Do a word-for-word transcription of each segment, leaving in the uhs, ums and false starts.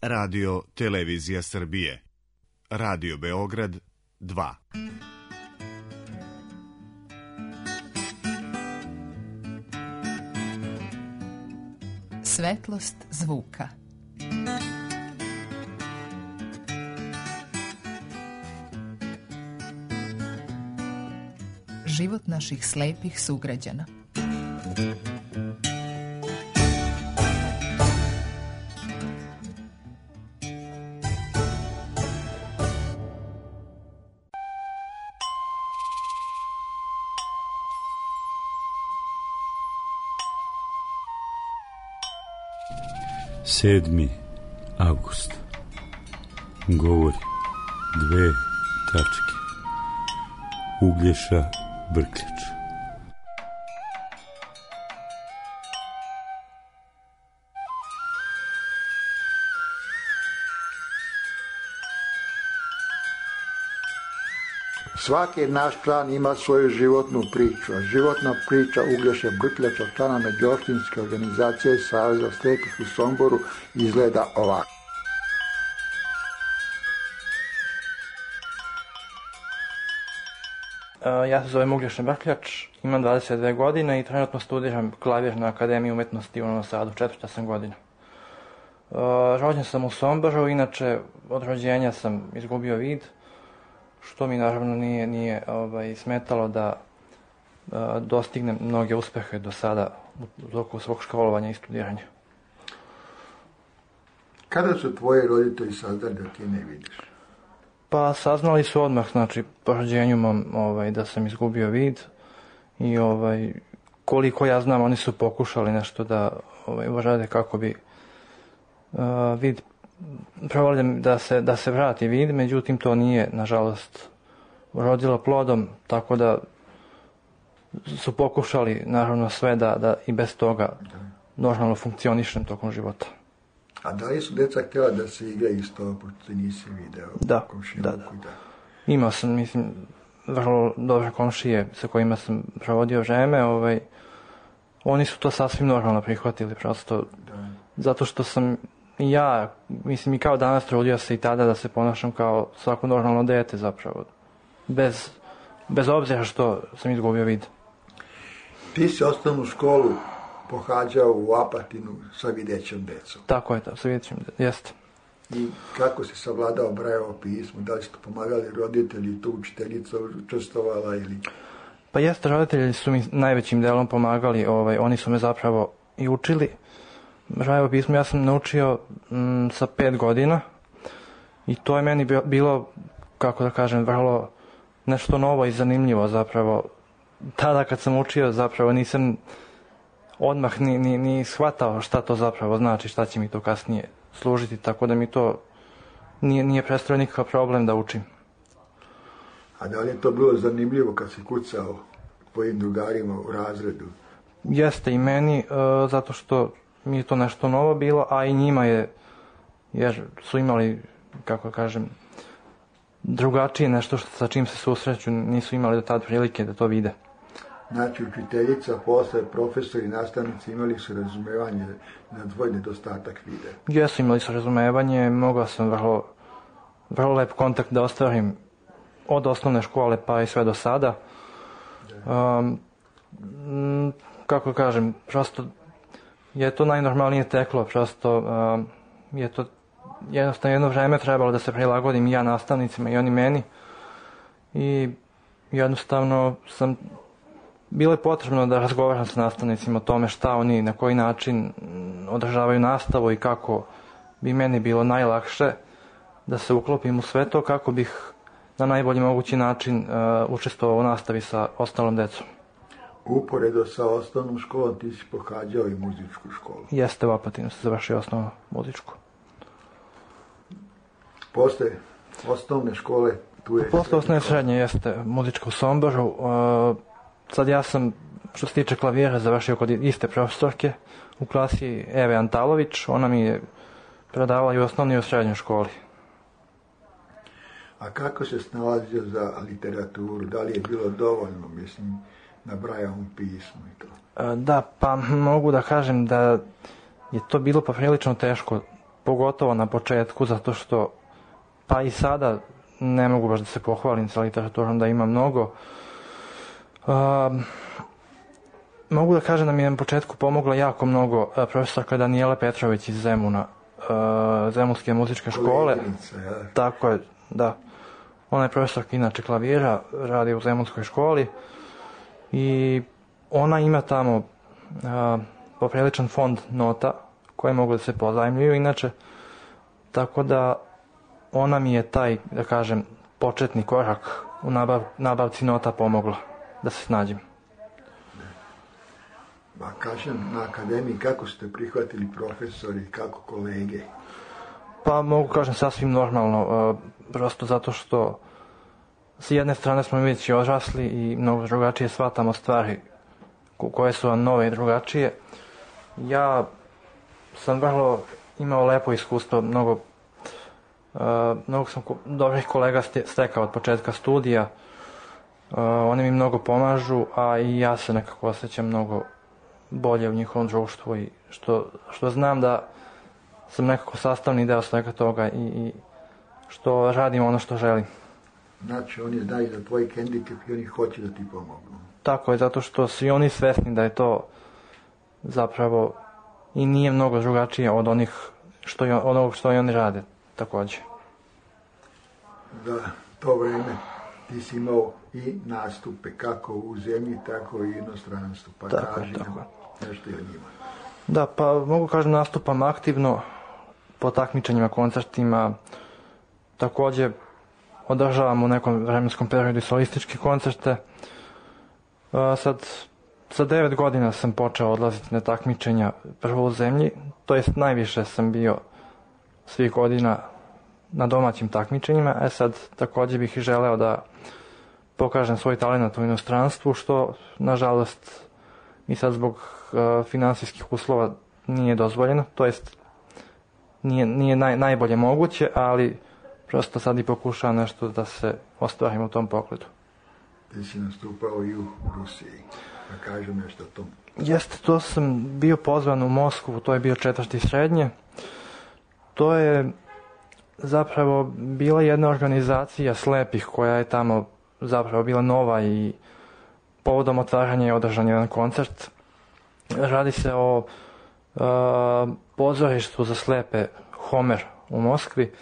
Radio Televizija Srbije. Radio Beograd dva. Svetlost zvuka. Život naših slepih sugrađana. sedmi avgust. Govori dve tačke. Uglješa Brkljač. Svaki naš član ima svoju životnu priču, a životna priča Uglješe Brkljača, člana međuopštinske organizacije Saveza slepih u Somboru, izgleda ovako. Ja se zovem Uglješa Brkljač, imam dvadeset dve godine i trenutno studiram klavir na Akademiji umetnosti u Novom Sadu, četvrta sam godina. Rođen sam u Somboru, inače od rođenja sam izgubio vid, što mi naravno nije, nije ovaj, smetalo da a, dostignem mnoge uspehe do sada u toku svog školovanja i studiranja. Kada su tvoji roditelji saznali da ti ne vidiš? Pa saznali su odmah, znači po rođenju mom, ovaj, da sam izgubio vid i ovaj, koliko ja znam oni su pokušali nešto da ovaj, urade kako bi a, vid probali da se, da se vrati vid, međutim to nije, nažalost, urodilo plodom, tako da su pokušali, naravno, sve da, da i bez toga normalno funkcionišem tokom života. A da li su djeca htjela da se igraju s tobom, pošto nisi video? Da, da, da. Imao sam, mislim, vrlo dobre komšije sa kojima sam provodio vreme, ovaj, oni su to sasvim normalno prihvatili, prosto, da. Zato što sam i ja, mislim, i kao danas trudio se i tada da se ponašam kao svako normalno dete zapravo. Bez, bez obzira što sam izgubio vid. Ti si osnovnu školu pohađao u Apatinu sa videćom decom. Tako je, da, sa videćom decom, jeste. I kako si savladao Brajevo pismo? Da li ste pomagali roditelji, tu učiteljica učestvovala ili... Pa jeste, roditelji su mi najvećim delom pomagali, ovaj, oni su me zapravo i učili. Brajevo pismo ja sam naučio m, sa pet godina i to je meni bilo, kako da kažem, vrlo nešto novo i zanimljivo zapravo. Tada kad sam učio zapravo nisam odmah ni, ni, ni shvatao šta to zapravo znači, šta će mi to kasnije služiti, tako da mi to nije, nije predstavljao nikakav problem da učim. A da li je to bilo zanimljivo kad si kucao tvojim drugarima u razredu? Jeste i meni, uh, zato što mi je to nešto novo bilo, a i njima je, jer su imali, kako kažem, drugačije nešto što, sa čim se susreću, nisu imali do tada prilike da to vide. Znači, učiteljica, posle profesori i nastavnici imali su razumevanje na tvoj nedostatak vide? Jesu, imali su razumevanje, mogao sam vrlo, vrlo lep kontakt da ostvarim od osnovne škole pa i sve do sada. Um, kako kažem, prosto je to najnormalnije teklo, prosto um, je to jednostavno jedno vreme trebalo da se prilagodim i ja nastavnicima i oni meni i jednostavno sam, bilo je potrebno da razgovaram sa nastavnicima o tome šta oni, na koji način održavaju nastavu i kako bi meni bilo najlakše da se uklopim u sve to, kako bih na najbolji mogući način uh, učestvovao u nastavi sa ostalom decom. Uporedo sa osnovnom školom ti si pohađao i muzičku školu. Jeste, u Apatinu se završio osnovnu muzičku. Posle osnovne škole tu je... Posle osnovne srednje jeste muzička u Somboru. Uh, sad ja sam, što se tiče klavira, završio kod iste profesorke u klasi Eve Antalović. Ona mi je predavala i u osnovnoj i u srednjoj školi. A kako se snalazio za literaturu? Da li je bilo dovoljno, mislim, na Brajevom pismu i to? Da, pa mogu da kažem da je to bilo poprilično teško pogotovo na početku, zato što pa i sada ne mogu baš da se pohvalim sa literaturom da ima mnogo. Um, mogu da kažem da mi je na početku pomogla jako mnogo uh, profesorka Danijela Petrović iz Zemuna, uh, Zemunske muzičke škole. Ja. Tako je, da. Ona je profesorka inače klavira, radi u Zemunskoj školi i ona ima tamo uh, popriličan fond nota koje mogu da se pozajmljuju inače, tako da ona mi je taj, da kažem, početni korak u nabav, nabavci nota pomogla da se snađem. Ba kažem, na akademiji kako ste prihvatili profesori, kako kolege? Pa mogu kažem sasvim normalno, uh, prosto zato što s jedne strane smo već odrasli i mnogo drugačije shvatamo stvari koje su vam nove i drugačije. Ja sam vrlo imao lepo iskustvo, mnogo, uh, mnogo sam dobrih kolega stekao od početka studija, uh, oni mi mnogo pomažu, a i ja se nekako osjećam mnogo bolje u njihovom društvu i što, što znam da sam nekako sastavni deo svega toga i, i što radim ono što želim. Znači, oni znaju za tvoj hendikep i oni hoće da ti pomognu. Tako je, zato što su i oni svesni da je to zapravo i nije mnogo drugačije od onih što je, od onog što i oni rade također. Da, to vreme ti si imao i nastupe kako u zemlji, tako i u inostranstvu. Pa tako, kaži tako. nam nešto i o njima. Da, pa mogu kažem nastupam aktivno po takmičenjima, koncertima. Također održavam u nekom vremenskom periodu solističke koncerte. A, sad, sa devet godina sam počeo odlaziti na takmičenja prvo u zemlji, to jest najviše sam bio svih godina na domaćim takmičenjima, e sad također bih i želeo da pokažem svoj talent u inostranstvu, što nažalost i sad zbog uh, finansijskih uslova nije dozvoljeno, to jest nije, nije naj, najbolje moguće, ali prosto sad i pokušavam nešto da se ostvarim u tom pogledu. Ti si nastupao i u Rusiji, da kažem nešto o tom. Jeste, to sam bio pozvan u Moskvu, to je bio četvrti srednje. To je zapravo bila jedna organizacija slepih koja je tamo zapravo bila nova i povodom otvaranja je održan jedan koncert. Radi se o uh, pozorištu za slepe Homer u Moskvi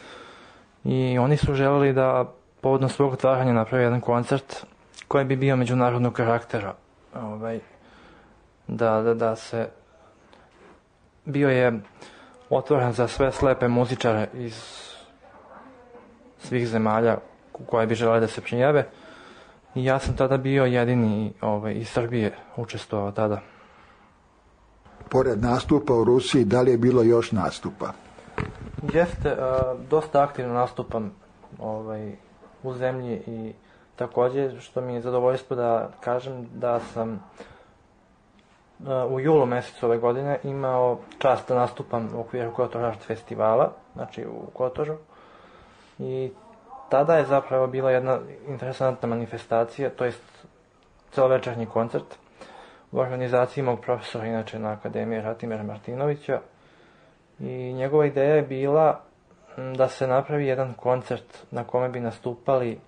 i oni su želeli da povodom svog otvaranja napravi jedan koncert koji bi bio međunarodnog karaktera. Ovaj, da, da, da se bio je otvoren za sve slepe muzičare iz svih zemalja koje bi želeli da se prijave. I ja sam tada bio jedini ovaj, iz Srbije učestvovao tada. Pored nastupa u Rusiji, da li je bilo još nastupa? Jeste, uh, dosta aktivno nastupam ovaj, u zemlji i također što mi je zadovoljstvo da kažem da sam uh, u julu mjesecu ove godine imao čast da nastupam u okviru Kotor Art festivala, znači u Kotoru. I tada je zapravo bila jedna interesantna manifestacija, to jest celovečernji koncert u organizaciji mog profesora, inače na Akademiji Ratimira Martinovića. I njegova ideja je bila da se napravi jedan koncert na kome bi nastupali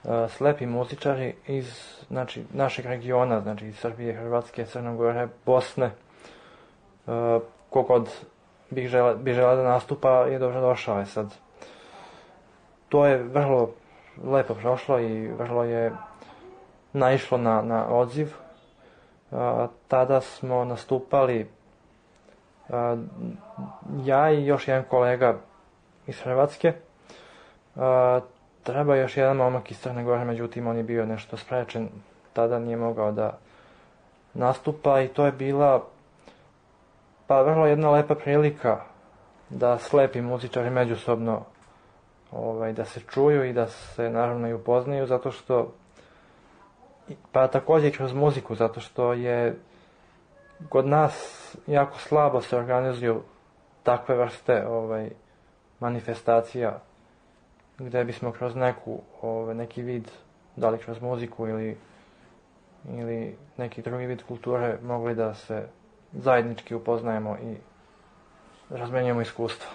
uh, slepi muzičari iz znači, našeg regiona, znači iz Srbije, Hrvatske, Crne Gore, Bosne. Uh, kogod bi žele, bi žele da nastupa je dobro došao je sad. To je vrlo lepo prošlo i vrlo je naišlo na, na odziv. Uh, tada smo nastupali uh, ja i još jedan kolega iz Hrvatske. Uh, treba još jedan momak iz Crne Gore, međutim on je bio nešto sprečen, tada nije mogao da nastupa i to je bila pa vrlo jedna lepa prilika da slepi muzičari međusobno ovaj, da se čuju i da se naravno i upoznaju, zato što pa također kroz muziku, zato što je kod nas jako slabo se organizuju takve vrste ovaj, manifestacija gdje bismo kroz neku, ovaj, neki vid, da li kroz muziku ili, ili neki drugi vid kulture mogli da se zajednički upoznajemo i razmenjujemo iskustva.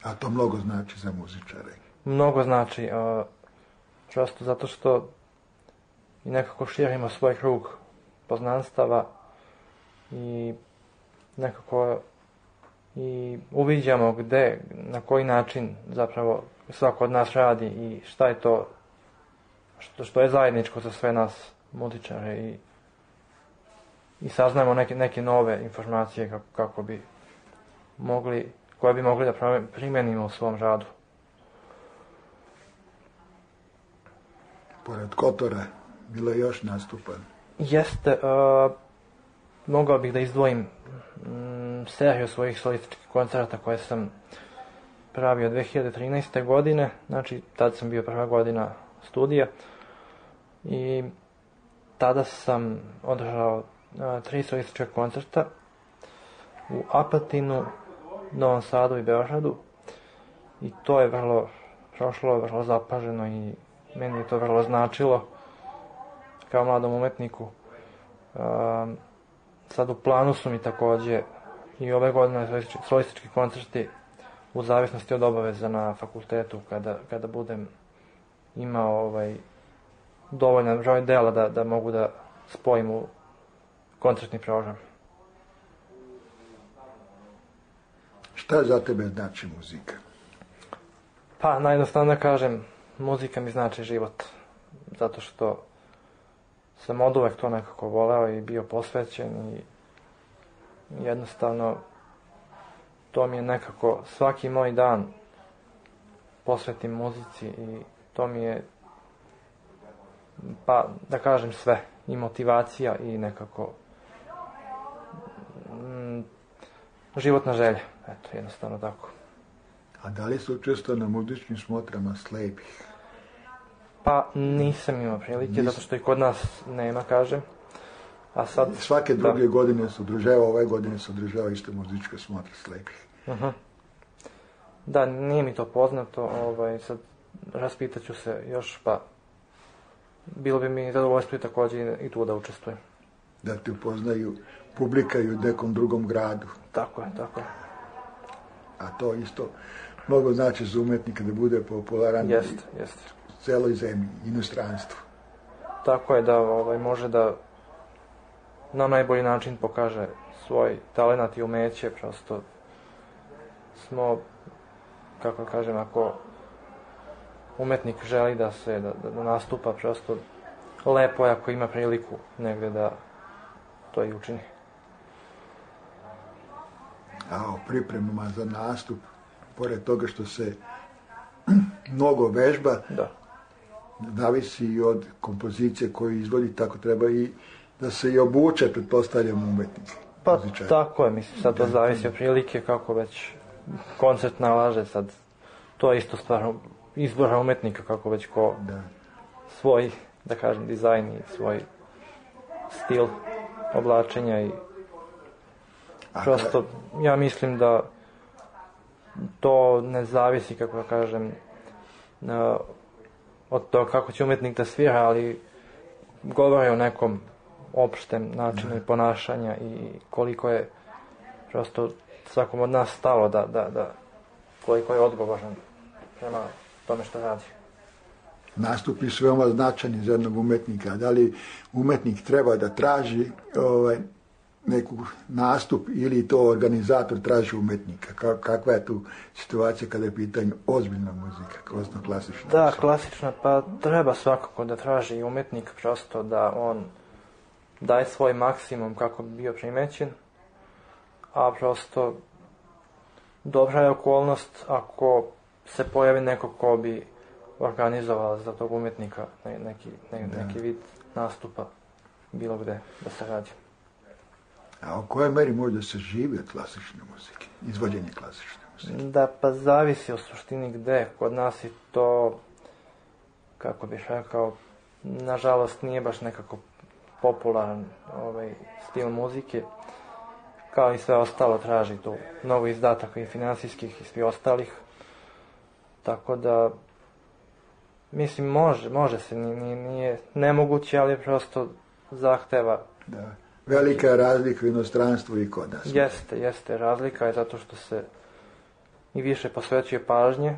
A to mnogo znači za muzičare? Mnogo znači, uh, prosto zato što i nekako širimo svoj krug poznanstava i nekako i uviđamo gde, na koji način zapravo svako od nas radi i šta je to što, što je zajedničko za sve nas muzičare i, i saznajemo neke, neke nove informacije kako, kako bi mogli, koje bi mogli da primenimo u svom radu. Pored Kotora bilo je još nastupa? Jeste, uh, mogao bih da izdvojim mm, seriju svojih solističkih koncerata koje sam pravio dve hiljade trinaeste. godine, znači tad sam bio prva godina studija i tada sam održao uh, tri solistička koncerta u Apatinu, Novom Sadu i Beogradu i to je vrlo prošlo, vrlo zapaženo i meni je to vrlo značilo kao mladom umetniku. Um, sad u planu su mi takođe i ove godine solistički koncerti u zavisnosti od obaveza na fakultetu kada, kada budem imao ovaj, dovoljan broj dela da, da mogu da spojim u koncertni program. Šta za tebe znači muzika? Pa, najjednostavno da kažem, muzika mi znači život. Zato što sam od uvek to nekako voleo i bio posvećen i jednostavno to mi je nekako svaki moj dan posvetim muzici i to mi je, pa da kažem sve, i motivacija i nekako mm, životna želja, eto, jednostavno tako. A da li su učestvovao na muzičkim smotrama slepih? Pa nisam imao prilike, Nis... zato što i kod nas nema, kažem. A sad, svake druge da. godine se održava, ove godine se održava isto muzička smotra slepih. Uh-huh. Da, nije mi to poznato, ovaj, sad raspitaću se još, pa bilo bi mi zadovoljstvo i takođe i tu da učestvujem. Da te upoznaju publika i u nekom drugom gradu. Tako je, tako je. A to isto mnogo znači za umetnika da bude popularan jest, jest. u celoj zemlji, inostranstvu. Tako je, da ovaj, može da na najbolji način pokaže svoj talenat i umeće, prosto smo, kako kažem, ako umetnik želi da se, da, da nastupa, prosto lepo je ako ima priliku negde da to i učini. A o pripremama za nastup, pored toga što se mnogo vežba, da. Zavisi i od kompozicije koju izvodi, tako treba i da se i obuče, pretpostavljam, umetnik. Pa muzičar. Tako je, mislim, sad to da, zavisi od prilike, kako već koncert nalaže, sad to je isto stvar izbora umetnika, kako već ko da. svoj, da kažem, dizajn i svoj stil oblačenja i A prosto, ka... ja mislim da to ne zavisi, kako da kažem, na, od toga kako će umetnik da svira, ali govori o nekom opštem načinu i ponašanja i koliko je prosto svakom od nas stalo da, da, da koliko je odgovoran prema tome što radi. Nastupi su veoma značajni za jednog umetnika. Da li umetnik treba da traži ovaj, neku nastup ili to organizator traži umetnika? Kakva je tu situacija kada je pitanje ozbiljna muzika, odnosno klasična? Da, klasična, pa treba svakako da traži umetnik, prosto da on daje svoj maksimum kako bi bio primećen, a prosto dobra je okolnost ako se pojavi neko ko bi organizovao za tog umetnika neki, ne, neki vid nastupa bilo gde da se radi. A u kojoj meri može da se živi od klasične muzike, izvođenje klasične muzike? Da, pa zavisi o suštini gde. Kod nas je to, kako bih rekao, nažalost nije baš nekako popularan ovaj stil muzike. Kao i sve ostalo traži tu mnogo izdataka i finansijskih i svi ostalih. Tako da, mislim, može, može se, nije, nije nemoguće, ali prosto zahteva. Da. Velika je razlika u inostranstvu i kod nas. Jeste, jeste, razlika je zato što se i više posvećuje pažnje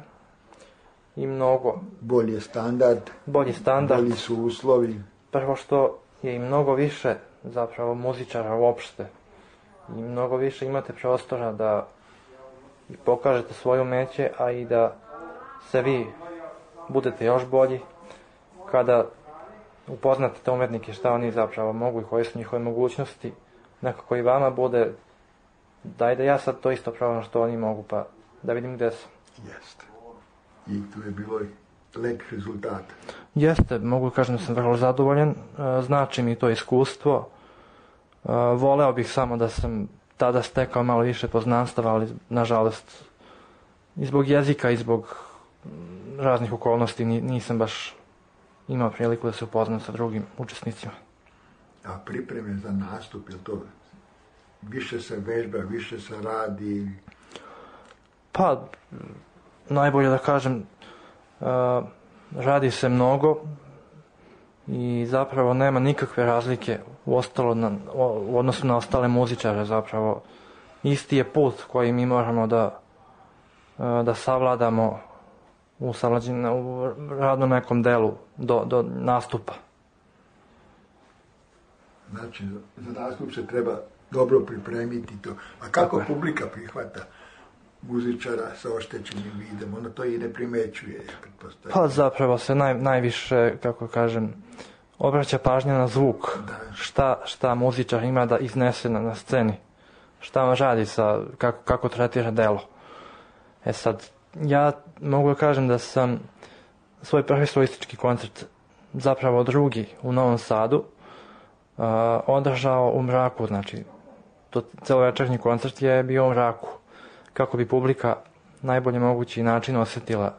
i mnogo Bolji je standard, bolji standard. bolji su uslovi. Prvo što je i mnogo više zapravo muzičara uopšte i mnogo više imate prostora da i pokažete svoje umeće, a i da se vi budete još bolji kada upoznate te umetnike šta oni zapravo mogu i koje su njihove mogućnosti, nekako i vama bude daj da ja sad to isto probam što oni mogu, pa da vidim gde sam. Jeste. I tu je bilo lep rezultat. Jeste, mogu kažem da sam vrlo zadovoljan, znači mi to iskustvo. Voleo bih samo da sam tada stekao malo više poznanstava, ali nažalost i zbog jezika i zbog raznih okolnosti nisam baš imao priliku da se upoznam sa drugim učesnicima. A pripreme za nastup, je to više se vežba, više se radi? Pa, najbolje da kažem, radi se mnogo i zapravo nema nikakve razlike u, ostalo na, u odnosu na ostale muzičare. Zapravo isti je put koji mi moramo da, da savladamo u, u radnom nekom delu do, do nastupa. Znači, za nastup se treba dobro pripremiti to. A kako Tako publika prihvata muzičara sa oštećenim vidom? Ona to i ne primećuje. Pa zapravo se naj, najviše, kako kažem, obraća pažnja na zvuk. Šta, šta muzičar ima da iznese na, na sceni. Šta on radi sa, kako, kako tretira delo. E sad, ja mogu da kažem da sam svoj prvi solistički koncert, zapravo drugi u Novom Sadu, uh, održao u mraku, znači to celovečernji koncert je bio u mraku, kako bi publika najbolje mogući način osjetila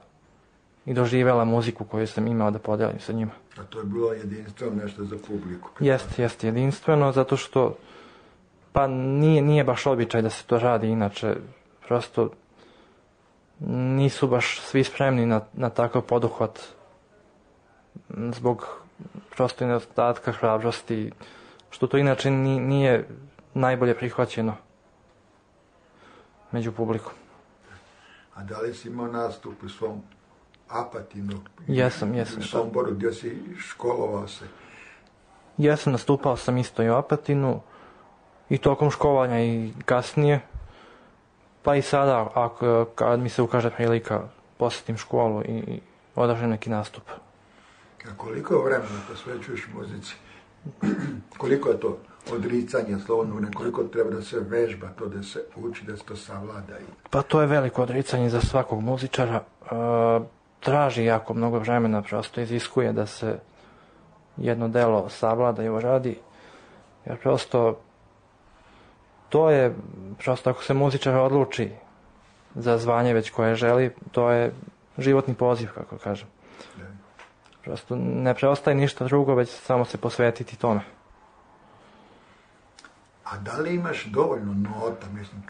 i doživjela muziku koju sam imao da podelim sa njima. A to je bilo jedinstveno nešto za publiku? Jeste, jeste jedinstveno, zato što pa nije, nije baš običaj da se to radi, inače prosto nisu baš svi spremni na, na takav poduhvat zbog prosto nedostatka hrabrosti, što to inače nije najbolje prihvaćeno među publikom. A da li si imao nastup u svom Apatinu? Jesam, jesam. U Somboru gdje si školovao se? Jesam, nastupao sam isto i u Apatinu i tokom školovanja i kasnije. Pa i sada, ako, kad mi se ukaže prilika, posjetim školu i, i održim neki nastup. A koliko vremena posvećuješ muzici? Koliko je to odricanje, slovno, koliko treba da se vežba, to da se uči, da se to savlada? Pa to je veliko odricanje za svakog muzičara. E, traži jako mnogo vremena, prosto iziskuje da se jedno delo savlada i uradi. Jer prosto to je, prosto ako se muzičar odluči za zvanje već koje želi, to je životni poziv, kako kažem. Prosto ne preostaje ništa drugo, već samo se posvetiti tome. A da li imaš dovoljno nota, mislim,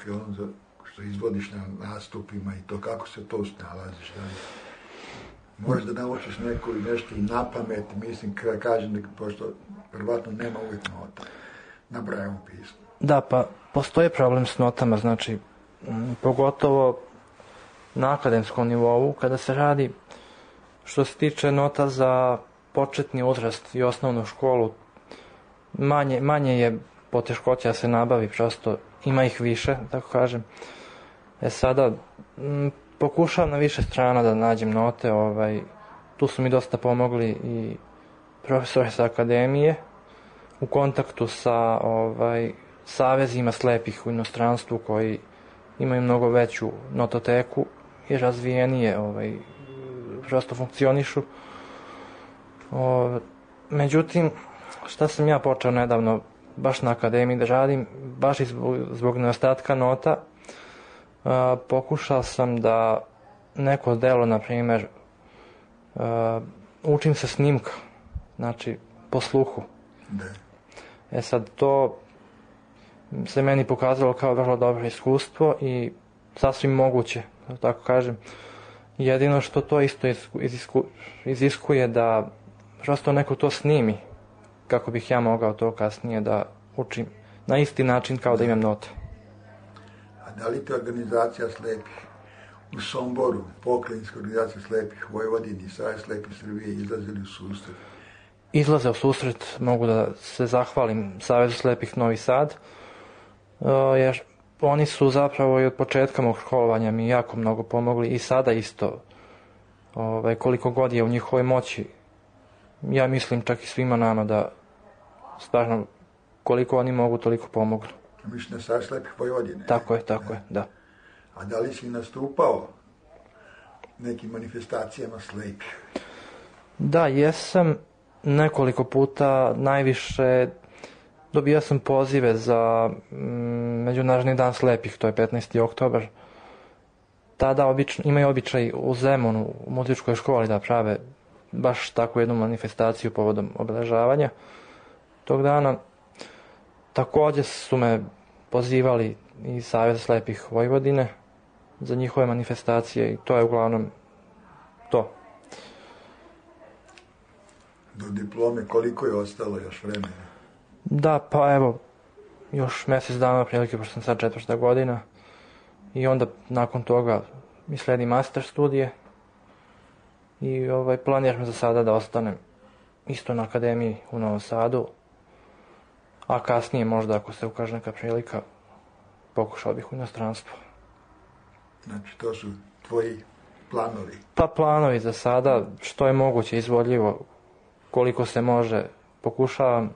što izvodiš na nastupima i to, kako se to snalaziš? Da li možeš da naučiš neko i nešto i na pamet, mislim, kada kažem, pošto prvatno nema uvijek nota na Brailleovom pismu. Da, pa postoji problem s notama, znači, m, pogotovo na akademskom nivou, kada se radi što se tiče nota za početni uzrast i osnovnu školu, manje, manje je poteškoća da se nabavi, prosto ima ih više, tako kažem. E sada, m, pokušavam na više strana da nađem note, ovaj, tu su mi dosta pomogli i profesori sa akademije, u kontaktu sa ovaj, savezima slepih u inostranstvu koji imaju mnogo veću nototeku i razvijenije ovaj, prosto funkcionišu. O, međutim, šta sam ja počeo nedavno baš na akademiji da radim, baš i zbog, zbog nedostatka nota, a, pokušao sam da neko delo, na primjer, a, učim se snimka, znači po sluhu. Da. E sad, to se meni pokazalo kao vrlo dobro iskustvo i sasvim moguće, da tako kažem. Jedino što to isto izisku, iziskuje da prosto neko to snimi, kako bih ja mogao to kasnije da učim na isti način kao da imam note. A da li te organizacija slepih u Somboru, pokrajinska organizacija slepih Vojvodini i Savez slepih Srbije izlazili u susret? Izlaze u susret, mogu da se zahvalim Savezu slepih Novi Sad, jer oni su zapravo i od početka mog školovanja mi jako mnogo pomogli i sada isto, ovaj, koliko god je u njihovoj moći, ja mislim čak i svima nama da stvarno koliko oni mogu toliko pomognu. Mislim na Savez slepih Vojvodine? Tako je, tako da. je, da. A da li si nastupao nekim manifestacijama slepih? Da, jesam nekoliko puta, najviše dobio sam pozive za mm, Međunarodni dan slepih, to je petnaesti oktobar. Tada obično, imaju običaj u Zemunu, u muzičkoj školi da prave baš takvu jednu manifestaciju povodom obeležavanja tog dana. Također su me pozivali i Savez slepih Vojvodine za njihove manifestacije i to je uglavnom to. Do diplome koliko je ostalo još vremena? Da, pa evo, još mjesec dana prilike, pošto sam sad četvrta godina i onda nakon toga mi sledi master studije i ovaj, planiram za sada da ostanem isto na akademiji u Novom Sadu, a kasnije možda ako se ukaže neka prilika pokušao bih u inostranstvu. Znači to su tvoji planovi? Pa planovi za sada, što je moguće izvodljivo, koliko se može, pokušavam,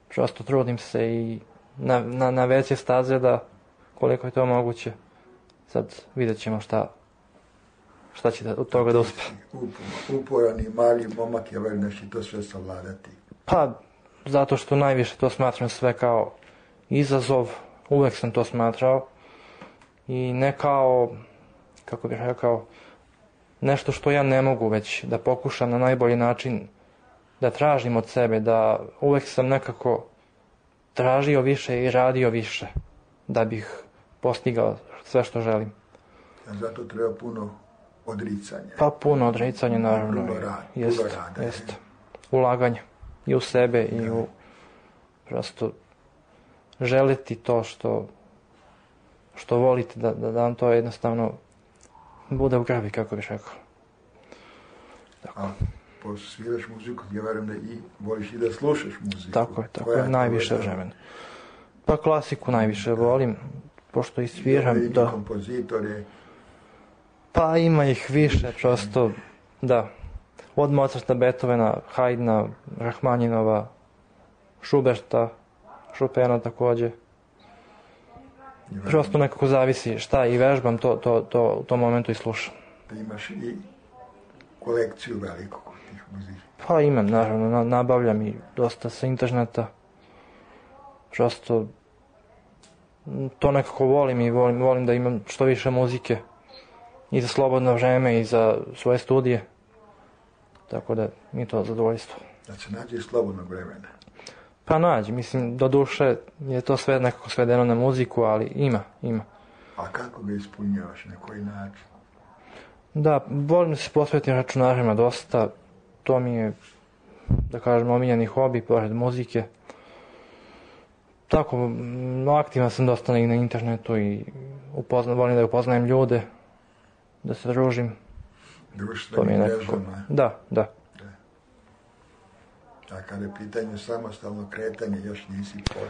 prosto trudim se i na, na, na veće staze da koliko je to moguće. Sad vidjet ćemo šta, šta će da, od toga da uspe. Uporan i mali momak, ja verujem da će to sve savladati. Pa, zato što najviše to smatram sve kao izazov, uvek sam to smatrao i ne kao, kako bih rekao, nešto što ja ne mogu, već da pokušam na najbolji način da tražim od sebe, da uvek sam nekako tražio više i radio više da bih postigao sve što želim. A zato treba puno odricanja. Pa puno odricanja, naravno. Puno rada. Jest, Puno rada. Jest. Ulaganje i u sebe da. I u prosto želiti to što što volite, da, da, da vam to jednostavno bude u krvi, kako bih rekao. Tako. A pošto sviraš muziku, ja verujem da i voliš i da slušaš muziku. Tako je, tako je, najviše vremena. Pa klasiku najviše volim, pošto i sviram. I da. Kompozitore. Pa ima ih više, prosto, da. Od Mozarta, Beethovena, Haydna, Rahmaninova, Schuberta, Chopina također. Prosto nekako zavisi šta i vežbam, to, to, to u tom momentu i slušam. Da imaš i kolekciju veliku tih muzika? Pa imam, naravno, nabavljam i dosta sa interneta. Prosto to nekako volim i volim, volim da imam što više muzike i za slobodno vreme i za svoje studije. Tako da mi je to zadovoljstvo. Da se nađe slobodnog vremena? Pa nađi, mislim, do duše je to sve nekako svedeno na muziku, ali ima, ima. A kako ga ispunjavaš, na koji način? Da, volim da se posvetim računarima dosta, to mi je, da kažem, omiljeni hobi, pored muzike. Tako, aktivan sam dosta i na internetu i upozna, volim da upoznajem ljude, da se družim. Društvenim mrežama? Da, da. A kada je pitanje samostalno kretanje, još nisi pošao?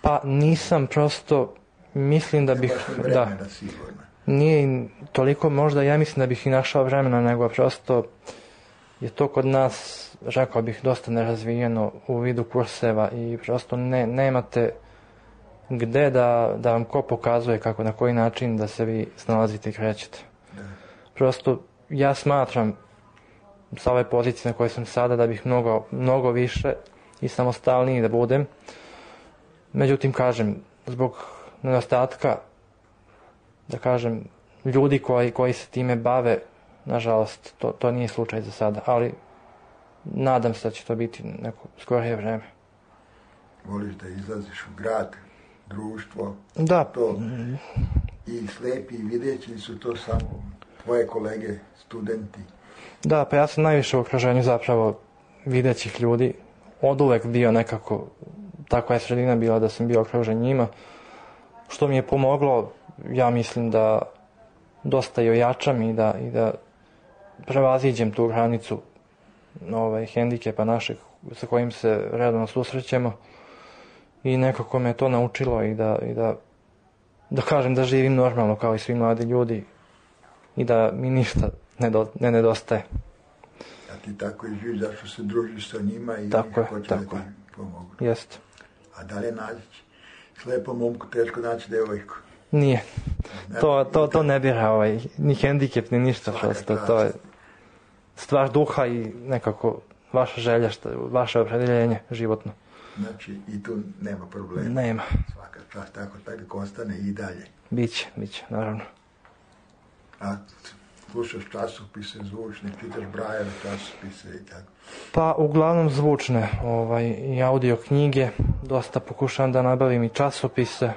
Pa nisam, prosto mislim da bih... Ne baš vremena, da, sigurno. Nije toliko, možda ja mislim da bih i našao vremena, nego prosto je to kod nas, rekao bih, dosta nerazvijeno u vidu kurseva i prosto ne, nemate gde da, da vam ko pokazuje kako, na koji način da se vi snalazite i krećete. Da. Prosto ja smatram sa ove pozicije na kojoj sam sada da bih mnogo, mnogo više i samostalniji da budem. Međutim, kažem, zbog nedostatka, da kažem, ljudi koji, koji se time bave, nažalost, to, to nije slučaj za sada, ali nadam se da će to biti neko skorije vreme. Voliš da izlaziš u grad, društvo? Da. To, i slepi i videći su to samo tvoje kolege, studenti? Da, pa ja sam najviše u okruženju zapravo videćih ljudi. Od uvek bio nekako, takva je sredina bila da sam bio okružen njima. Što mi je pomoglo, ja mislim da dosta i ojačam i da, i da prevaziđem tu granicu ovaj, hendikepa našeg sa kojim se redovno susrećemo i nekako me to naučilo i da, i da, da kažem da živim normalno kao i svi mladi ljudi i da mi ništa ne, do, ne nedostaje. A ti tako i živiš, zašto se družiš sa njima i tako oni hoće da ti pomogu. Jeste. A da li je naći slepom momku teško naći devojku? Nije. To, to, to ne bira ovaj, ni hendikep, ni ništa. Prosto, to je stvar duha i nekako vaša želja, šta, vaše opredjeljenje životno. Znači i tu nema problema. Nema. Svaka čast, tako tako ostane i dalje. Biće, biće, naravno. A slušaš časopise zvučne, čitaš Brajeve časopise i tako? Pa uglavnom zvučne, ovaj, i audio knjige, dosta pokušavam da nabavim i časopise.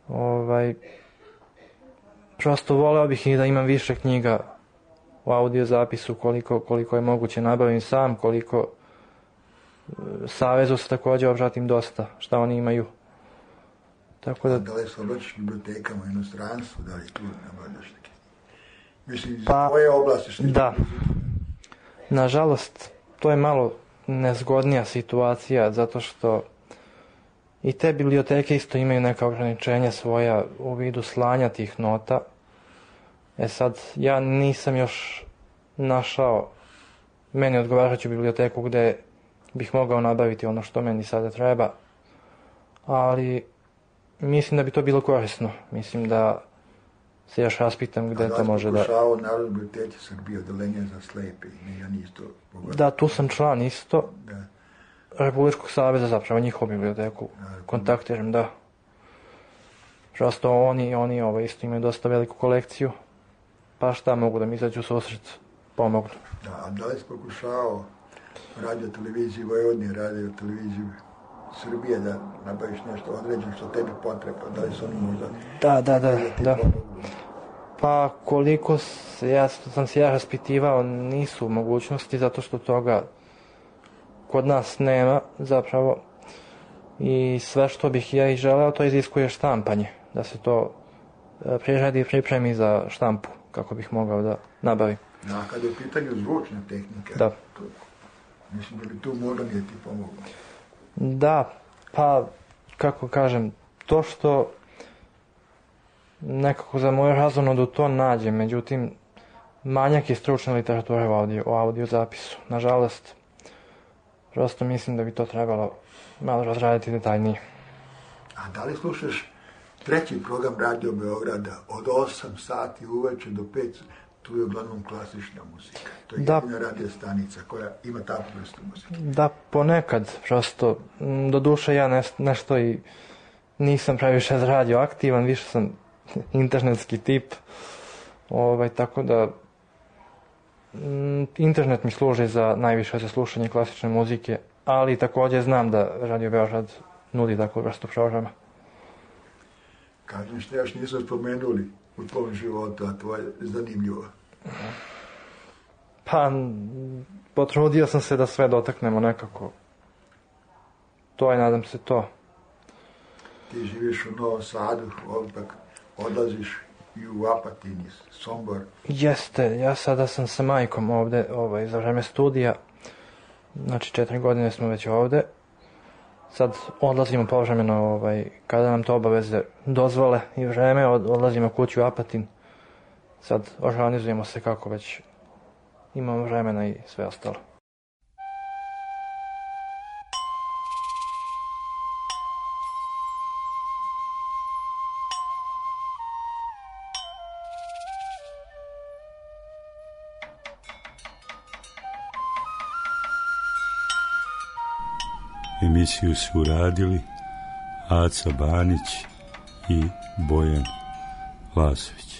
Ovaj, prosto voleo bih i da imam više knjiga u audio zapisu koliko, koliko je moguće nabavim sam, koliko Savezu se također obratim dosta, šta oni imaju. Tako da... Da li se obraćaš bibliotekama u inostranstvu, da li tu nabavljaš neke? Mislim, iz pa, tvoje oblasti što... Da. Nažalost, to je malo nezgodnija situacija, zato što i te biblioteke isto imaju neka ograničenja svoja u vidu slanja tih nota. E sad, ja nisam još našao meni odgovarajuću biblioteku gdje bih mogao nabaviti ono što meni sada treba, ali mislim da bi to bilo korisno. Mislim da se još raspitam gdje to može da... A da li pokušao Narodne biblioteke Srbije, odeljenje za slepe? Ja nisto pogodio. Da, tu sam član isto. Da. Republičkog saveza, zapravo njihovu biblioteku kontaktiram, da. Prosto oni, oni ovaj, isto imaju dosta veliku kolekciju, pa šta mogu da mi izađu u susret, pomognu. Da, a da li si pokušao radio televiziju Vojvodine, radio televiziju Srbije da nabaviš nešto određeno što tebi potreba, da li su oni možda... Da, da, da, da. Pa koliko se, ja, sam se ja raspitivao, nisu u mogućnosti, zato što toga kod nas nema zapravo i sve što bih ja i želeo to iziskuje štampanje, da se to priradi i pripremi za štampu kako bih mogao da nabavim. Da, kada je u pitanju zvučna tehnika, da. To, mislim da bi tu možda nije ti pomoglo. Da, pa kako kažem, to što nekako za moju razonodu to nađem, međutim manjak je stručne literature u audio, u audio zapisu, nažalost. Prosto mislim da bi to trebalo malo razraditi detaljnije. A da li slušaš treći program Radio Beograda od osam sati uveče do pet, tu je uglavnom klasična muzika. To je da, jedina radio stanica koja ima takvu vrstu muzike. Da, ponekad, prosto, do duše ja ne, nešto i nisam previše radio aktivan, više sam internetski tip, ovaj, tako da internet mi služi za najviše za slušanje klasične muzike, ali također znam da Radio Beograd nudi takvu vrstu programa. Kažem što još nisu spomenuli u tvom životu, a to je zanimljivo. Pa, potrudio sam se da sve dotaknemo nekako. To je, nadam se, to. Ti živiš u Novom Sadu, opak odlaziš i u Apatin, Sombor. Jeste, ja sada sam sa majkom ovde ovaj, za vreme studija. Znači četiri godine smo već ovde. Sad odlazimo povremeno ovaj, kada nam to obaveze dozvole i vreme, odlazimo kući u Apatin. Sad organizujemo se kako već imamo vremena i sve ostalo. Emisiju su uradili Aca Banić i Bojan Lasović.